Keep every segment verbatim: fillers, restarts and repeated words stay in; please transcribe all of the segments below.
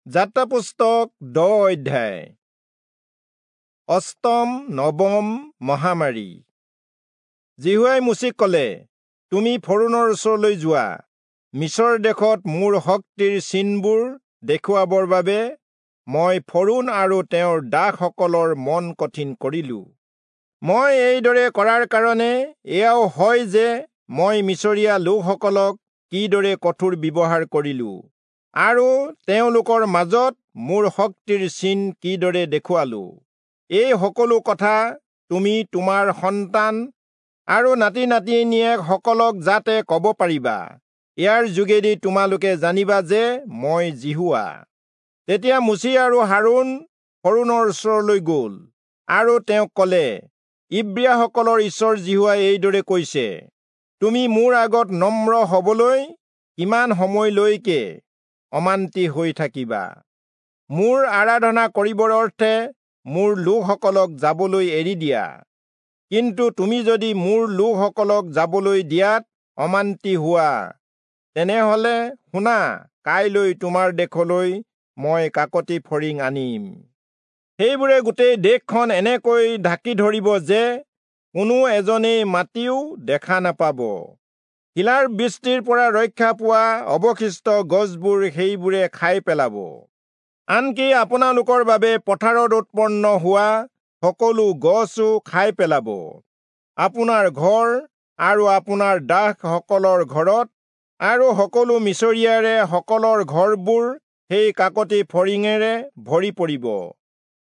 যাত্ৰা পুস্তক দহ অধ্যায়। অষ্টম নৱম মহামাৰী। যিহোৱাই মোচিক ক'লে, তুমি ফৰোণৰ ওচৰলৈ যোৱা, মিচৰ দেশত মোৰ শক্তিৰ চিনবোৰ দেখুৱাবৰ বাবে মই ফৰোণ আৰু তেওঁৰ দাসসকলৰ মন কঠিন কৰিলো। মই এইদৰে কৰাৰ কাৰণে এয়াও হয় যে মই মিচৰীয়া লোকসকলক কিদৰে কঠোৰ ব্যৱহাৰ কৰিলো আৰু তেওঁলোকৰ মাজত মোৰ শক্তিৰ চিন কিদৰে দেখুৱালো। এই সকলো কথা তুমি তোমাৰ সন্তান আৰু নাতি নাতিনীয়েকসকলক যাতে ক'ব পাৰিবা, ইয়াৰ যোগেদি তোমালোকে জানিবা যে মই যিহোৱা। তেতিয়া মোচি আৰু হাৰোণ ফৰোণৰ ওচৰলৈ গ'ল আৰু তেওঁক ক'লে, ইব্ৰীয়াসকলৰ ঈশ্বৰ যিহোৱাই এইদৰে কৈছে, তুমি মোৰ আগত নম্ৰ হ'বলৈ কিমান সময়লৈকে অমান্তি হৈ থাকিবা? মোৰ আৰাধনা কৰিবৰ অৰ্থে মোৰ লোকসকলক যাবলৈ এৰি দিয়া। কিন্তু তুমি যদি মোৰ লোকসকলক যাবলৈ দিয়াত অমান্তি হোৱা, তেনেহলে শুনা, কাইলৈ তোমাৰ দেশলৈ মই কাকতি ফৰিং আনিম। সেইবোৰে গোটেই দেশখন এনেকৈ ঢাকি ধৰিব যে কোনো এজনেই মাটিও দেখা নাপাব। শিলাৰ বৃষ্টিৰ পৰা ৰক্ষা পোৱা অৱশিষ্ট গছবোৰ সেইবোৰে খাই পেলাব। আনকি আপোনালোকৰ বাবে পথাৰত উৎপন্ন হোৱা সকলো গছো খাই পেলাব। আপোনাৰ ঘৰ আৰু আপোনাৰ দাসসকলৰ ঘৰত আৰু সকলো মিচৰীয়াৰে সকলৰ ঘৰবোৰ সেই কাকতি ফৰিঙেৰে ভৰি পৰিব।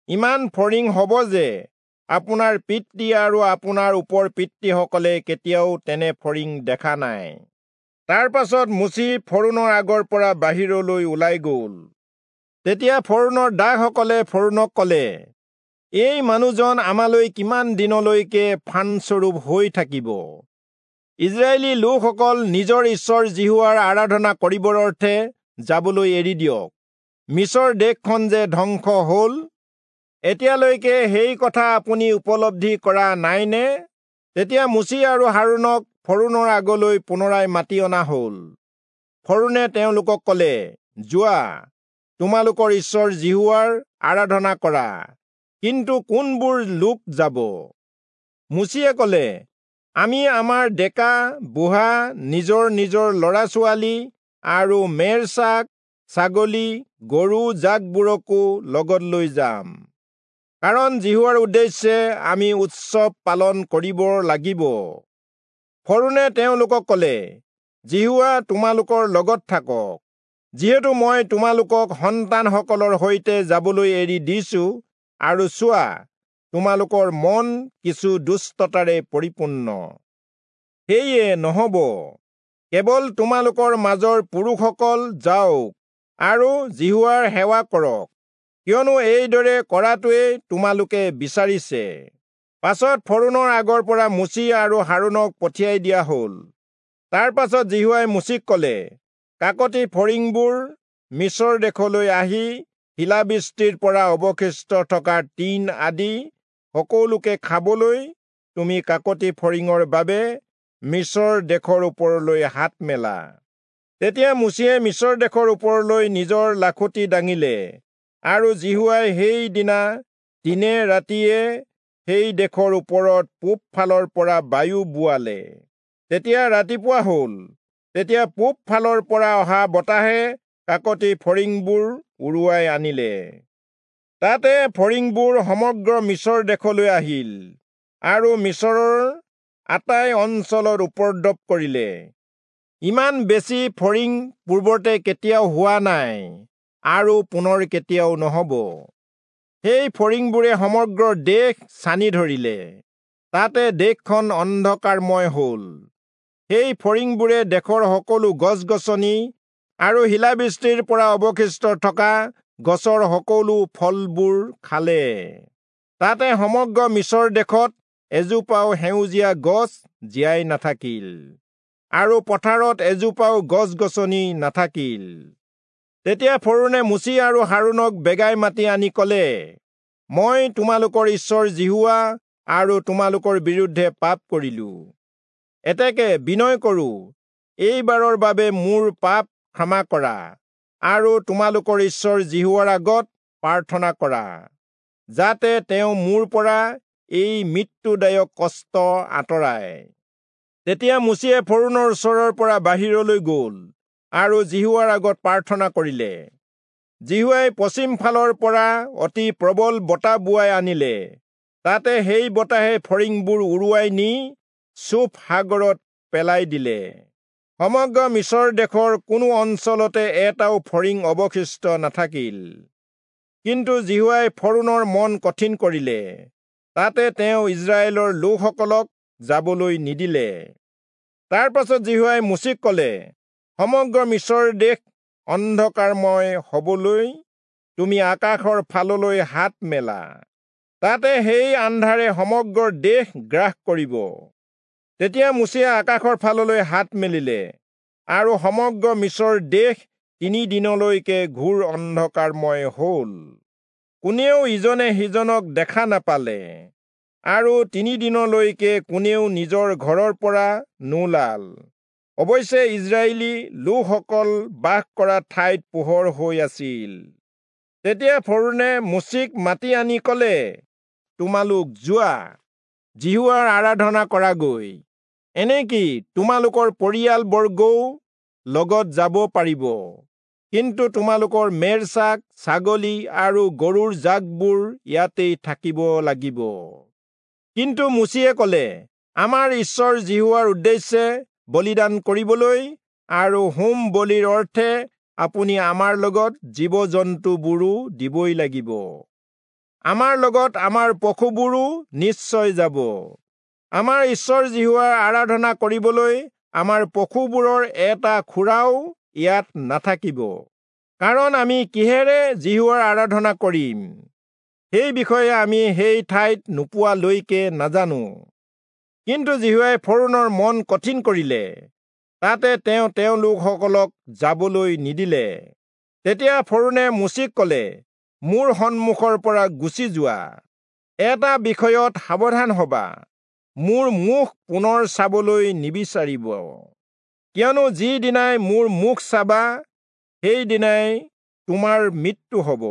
ইমান ফৰিং হ'ব যে আপোনাৰ পিতৃ আৰু আপোনাৰ ওপৰ পিতৃসকলে কেতিয়াও তেনে ফৰিং দেখা নাই। তাৰ পাছত মোচি ফৰোণৰ আগৰ পৰা বাহিৰলৈ ওলাই গ'ল। তেতিয়া ফৰোণৰ দাসসকলে ফৰোণক ক'লে, এই মানুহজন আমালৈ কিমান দিনলৈকে ফান্দস্বৰূপ হৈ থাকিব? ইজৰাইলী লোকসকল নিজৰ ঈশ্বৰ যিহোৱাৰ আৰাধনা কৰিবৰ অৰ্থে যাবলৈ এৰি দিয়ক। মিচৰ দেশখন যে ধ্বংস হ'ল, এতিয়ালৈকে সেই কথা আপুনি উপলব্ধি কৰা নাইনে? তেতিয়া মোচি আৰু হাৰোণক ফৰোণৰ আগলৈ পুনৰাই মাতি অনা হ'ল। ফৰোণে তেওঁলোকক ক'লে, যোৱা, তোমালোকৰ ঈশ্বৰ যিহোৱাৰ আৰাধনা কৰা, কিন্তু কোনবোৰ লোক যাব? মোচিয়ে ক'লে, আমি আমাৰ ডেকা বুঢ়া, নিজৰ নিজৰ ল'ৰা ছোৱালী আৰু মেৰ ছাগ, ছাগলী, গৰু জাকবোৰকো লগত লৈ যাম, কাৰণ যিহোৱাৰ উদ্দেশ্যে আমি উৎসৱ পালন কৰিব লাগিব। ফৰোণে তেওঁলোকক ক'লে, যিহোৱা তোমালোকৰ লগত থাকক। যিহেতু মই তোমালোকক সন্তানসকলৰ সৈতে যাবলৈ এৰি দিছো, আৰু চোৱা, তোমালোকৰ মন কিছু দুষ্টতাৰে পৰিপূৰ্ণ। সেয়ে নহ'ব, কেৱল তোমালোকৰ মাজৰ পুৰুষসকল যাওক আৰু যিহোৱাৰ সেৱা কৰক, কিয়নো এইদৰে কৰাটোৱেই তোমালোকে বিচাৰিছে। পাছত ফৰোণৰ আগৰ পৰা মোচি আৰু হাৰোণক পঠিয়াই দিয়া হ'ল। তাৰ পাছত যিহোৱাই মোচিক ক'লে, কাকতি ফৰিংবোৰ মিচৰ দেশলৈ আহি শিলাবৃষ্টিৰ পৰা অৱশিষ্ট থকা টিন আদি সকলোকে খাবলৈ তুমি কাকতি ফৰিঙৰ বাবে মিচৰ দেশৰ ওপৰলৈ হাত মেলা। তেতিয়া মোচিয়ে মিচৰ দেশৰ ওপৰলৈ নিজৰ লাখুটি দাঙিলে, আৰু যিহোৱাই সেইদিনা দিনে ৰাতিয়ে সেই দেশৰ ওপৰত পূব ফালৰ পৰা বায়ু বোৱালে। তেতিয়া ৰাতিপুৱা হ'ল, তেতিয়া পূব ফালৰ পৰা অহা বতাহে কাকতি ফৰিংবোৰ উৰুৱাই আনিলে। তাতে ফৰিংবোৰ সমগ্ৰ মিচৰ দেশলৈ আহিল আৰু মিচৰৰ আটাই অঞ্চলত উপদ্ৰৱ কৰিলে। ইমান বেছি ফৰিং পূৰ্বতে কেতিয়াও হোৱা নাই আৰু পুনৰ কেতিয়াও নহ'ব। সেই ফৰিংবোৰে সমগ্ৰ দেশ ছানি ধৰিলে, তাতে দেশখন অন্ধকাৰময় হ'ল। সেই ফৰিংবোৰে দেশৰ সকলো গছ গছনি আৰু শিলাবৃষ্টিৰ পৰা অৱশিষ্ট থকা গছৰ সকলো ফলবোৰ খালে। তাতে সমগ্ৰ মিচৰ দেশত এজোপাও সেউজীয়া গছ জীয়াই নাথাকিল আৰু পথাৰত এজোপাও গছ গছনি নাথাকিল। তেতিয়া ফৰোণে মোচি আৰু হাৰোণক বেগাই মাতি আনি ক'লে, মই তোমালোকৰ ঈশ্বৰ যিহোৱা আৰু তোমালোকৰ বিৰুদ্ধে পাপ কৰিলো। এতেকে বিনয় কৰো, এইবাৰৰ বাবে মোৰ পাপ ক্ষমা কৰা আৰু তোমালোকৰ ঈশ্বৰ যিহোৱাৰ আগত প্ৰাৰ্থনা কৰা, যাতে তেওঁ মোৰ পৰা এই মৃত্যুদায়ক কষ্ট আঁতৰায়। তেতিয়া মোচিয়ে ফৰৌণৰ ওচৰৰ পৰা বাহিৰলৈ গ'ল আৰু যিহোৱাৰ আগত প্ৰাৰ্থনা কৰিলে। যিহোৱাই পশ্চিম ফালৰ পৰা অতি প্ৰবল বতাহ বোৱাই আনিলে। তাতে সেই বতাহে ফৰিংবোৰ উৰুৱাই নি চূফ সাগৰত পেলাই দিলে। সমগ্ৰ মিচৰ দেশৰ কোনো অঞ্চলতে এটাও ফৰিং অৱশিষ্ট নাথাকিল। কিন্তু যিহোৱাই ফৰৌণৰ মন কঠিন কৰিলে, তাতে তেওঁ ইস্ৰায়েলৰ লোকসকলক যাবলৈ নিদিলে। তাৰ পাছত যিহোৱাই মোচিক ক'লে, সমগ্ৰ মিচৰ দেশ অন্ধকাৰময় হবলৈ তুমি আকাশৰ ফাললৈ হাত মেলা, তাতে সেই আন্ধাৰে সমগ্ৰ দেশ গ্ৰাস কৰিব। তেতিয়া মোচিয়ে আকাশৰ ফাললৈ হাত মেলিলে, আৰু সমগ্ৰ মিচৰ দেশ তিনি দিনলৈকে ঘোৰ অন্ধকাৰময় হ'ল। কোনেও ইজনে সিজনক দেখা নাপালে, আৰু তিনিদিনলৈকে কোনেও নিজৰ ঘৰৰ পৰা নোলাল। অৱশ্যে ইস্ৰায়েলী লোকসকল বাস কৰা ঠাইত পোহৰ হৈ আছিল। তেতিয়া ফৰৌণে মোচিক মাতি আনি ক'লে, তোমালোক যোৱা, যিহোৱাৰ আৰাধনা কৰাগৈ, এনেকি তোমালোকৰ পৰিয়ালবৰ্গও লগত যাব পাৰিব। কিন্তু তোমালোকৰ মেৰছাক, ছাগলী আৰু গৰুৰ জাকবোৰ ইয়াতেই থাকিব লাগিব। কিন্তু মোচিয়ে ক'লে, আমাৰ ঈশ্বৰ যিহোৱাৰ উদ্দেশ্যে বলিদান কৰিবলৈ আৰু হোম বলিৰ অৰ্থে আপুনি আমাৰ লগত জীৱ জন্তুবোৰো দিবই লাগিব। আমাৰ লগত আমাৰ পশুবোৰো নিশ্চয় যাব। আমাৰ ঈশ্বৰ যিহোৱাৰ আৰাধনা কৰিবলৈ আমাৰ পশুবোৰৰ এটা খুৰাও ইয়াত নাথাকিব, কাৰণ আমি কিহেৰে যিহোৱাৰ আৰাধনা কৰিম সেই বিষয়ে আমি সেই ঠাইত নোপোৱালৈকে নাজানো। কিন্তু যিহোৱাই ফৰৌণৰ মন কঠিন কৰিলে, তাতে তেওঁ তেওঁলোকসকলক যাবলৈ নিদিলে। তেতিয়া ফৰৌণে মোচিক ক'লে, মোৰ সন্মুখৰ পৰা গুচি যোৱা, এটা বিষয়ত সাৱধান হবা, মোৰ মুখ পুনৰ চাবলৈ নিবিচাৰিব, কিয়নো যিদিনাই মোৰ মুখ চাবা সেইদিনাই তোমাৰ মৃত্যু হ'ব।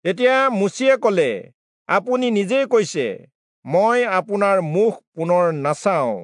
তেতিয়া মোচিয়ে ক'লে, আপুনি নিজেই কৈছে, মই আপোনাৰ মুখ পুনৰ নাচাওঁ।